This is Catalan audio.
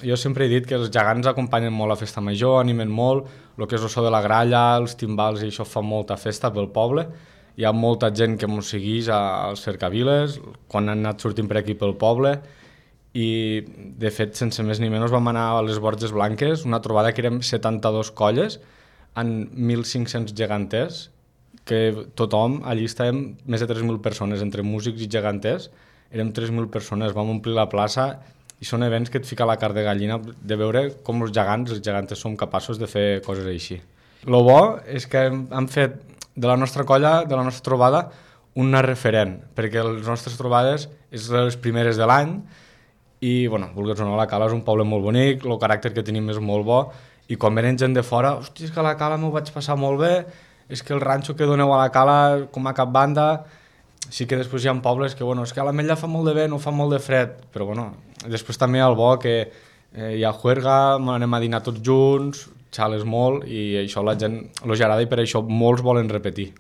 jo sempre he dit que els gegants acompanyen molt la festa major, animen molt, el que és el so de la gralla, els timbals, i això fa molta festa pel poble. Hi ha molta gent que mos segueix als cercaviles, quan han anat sortint per aquí pel poble, i de fet, sense més ni menys, vam anar a les Borges Blanques, una trobada que érem 72 colles, amb 1.500 geganters, que tothom, allí estàvem més de 3.000 persones, entre músics i geganters, érem 3.000 persones, vam omplir la plaça, i són events que et fica la carn de gallina de veure com els gegantes som capaços de fer coses així. Lo bo és que hem fet de la nostra colla, de la nostra trobada, una referent, perquè les nostres trobades és les primeres de l'any, i, bueno, vulguis o no, la Cala és un poble molt bonic, el caràcter que tenim és molt bo, i quan venen gent de fora, hòstia, és que a la Cala m'ho vaig passar molt bé, és que el ranxo que doneu a la Cala com a cap banda. Sí que després hi ha pobles que, bueno, és que a l'Ametlla fa molt de vent o fa molt de fred, però bueno, després també hi ha el bo que hi ha juerga, anem a dinar tots junts, xales molt, i això a la gent els agrada i per això molts volen repetir.